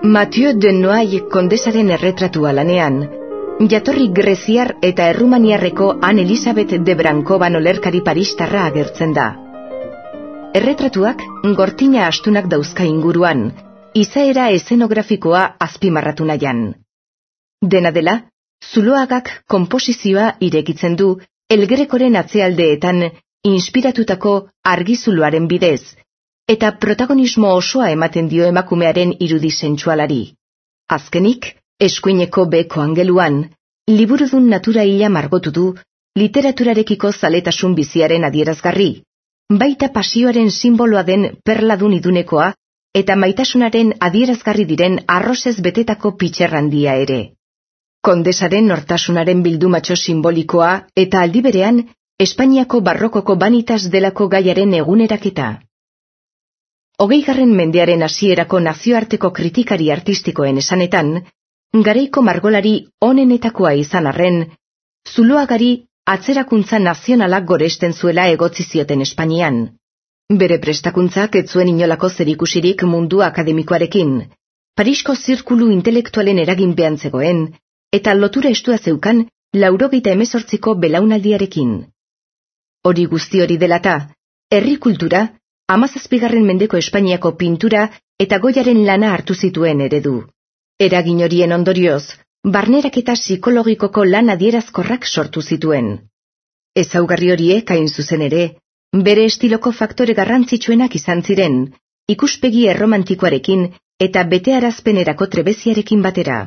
Mathieu de Noailles kondesaren erretratua lanean, jatorri greziar eta errumaniarreko Anne Elisabeth de Brankoban olerkari paristarra agertzen da. Erretratuak gortina astunak dauzka inguruan, izaera eszenografikoa azpimarratu nahian. Dena dela, Zuloagak konposizioa irekitzen du El Grecoren atzealdeetan inspiratutako argizuloaren bidez, eta protagonismo osoa ematen dio emakumearen irudi sentsualari. Azkenik, eskuineko beheko angeluan, liburudun natura hila margotu du literaturarekiko zaletasun biziaren adierazgarri, baita pasioaren simboloa den perladun idunekoa eta maitasunaren adierazgarri diren arrozez betetako pitxerrandia ere. Kondesaren nortasunaren bildumatxo simbolikoa eta aldi berean Espainiako barrokoko banitas delako gaiaren eguneraketa. 20. mendearen hasierako nazioarteko kritikari artistikoen esanetan, garaiko margolari onenetakoa izan arren, Zuloagari atzerakuntza nazionalak goresten zuela egotzi zioten Espainian. Bere prestakuntzak ez zuen inolako zerikusirik mundu akademikoarekin, Parisko zirkulu intelektualen eraginpean zegoen, eta lotura estua zeukan 98ko belaunaldiarekin. Hori guzti hori delata, herri kultura, 17. mendeko Espainiako pintura eta goiaren lana hartu zituen eredu. Eragin horien ondorioz, barneraketa psikologikoko lan adierazkorrak sortu zituen. Ezaugarri horiek hain zuzen ere, bere estiloko faktore garrantzitsuenak izan ziren, ikuspegi erromantikoarekin eta betearazpenerako trebeziarekin batera.